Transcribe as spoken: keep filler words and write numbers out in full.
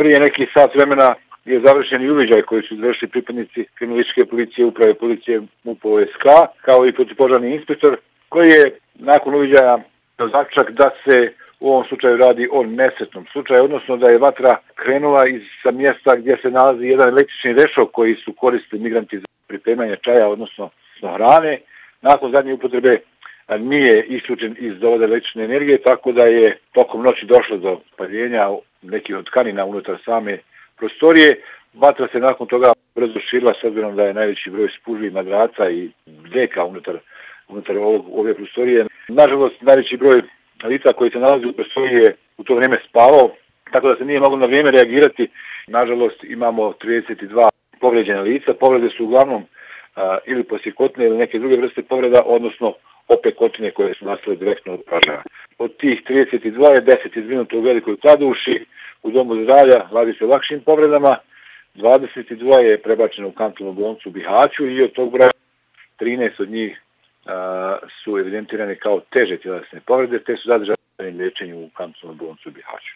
Prije neki sat vremena je završen i uviđaj koji su izvršili pripadnici kriminalističke policije, uprave policije M U P O S K, kao i protivpožarni inspektor, koji je nakon uviđaja zaključak da se u ovom slučaju radi o nesretnom slučaju, odnosno da je vatra krenula iz sa mjesta gdje se nalazi jedan električni rešo koji su koristili migranti za pripremanje čaja, odnosno hrane. Nakon zadnje upotrebe nije isključen iz dovoda električne energije, tako da je tokom noći došlo do paljenja nekih od tkanina unutar same prostorije. Vatra se nakon toga brzo širila, s obzirom da je najveći broj spužvi, madraca i deka unutar, unutar ovog, ove prostorije. Nažalost, najveći broj lica koji se nalazi u prostoriji je u to vrijeme spavao, tako da se nije moglo na vrijeme reagirati. Nažalost, imamo trideset dva povrijeđena lica. Povrede su uglavnom a, ili posjekotine ili neke druge vrste povreda, odnosno opekotine koje su nastale direktno od požara. Od tih trideset dva je deset izvinuto u Velikoj Kladuši, u domu zdravlja radi se o lakšim povredama, dvadeset dva je prebačeno u kantonsku bolnicu u Bihaću i od tog broja trinaest od njih a, su evidentirane kao teže tjelesne povrede, te su zadržane liječenju u kantonsku bolnicu u Bihaću.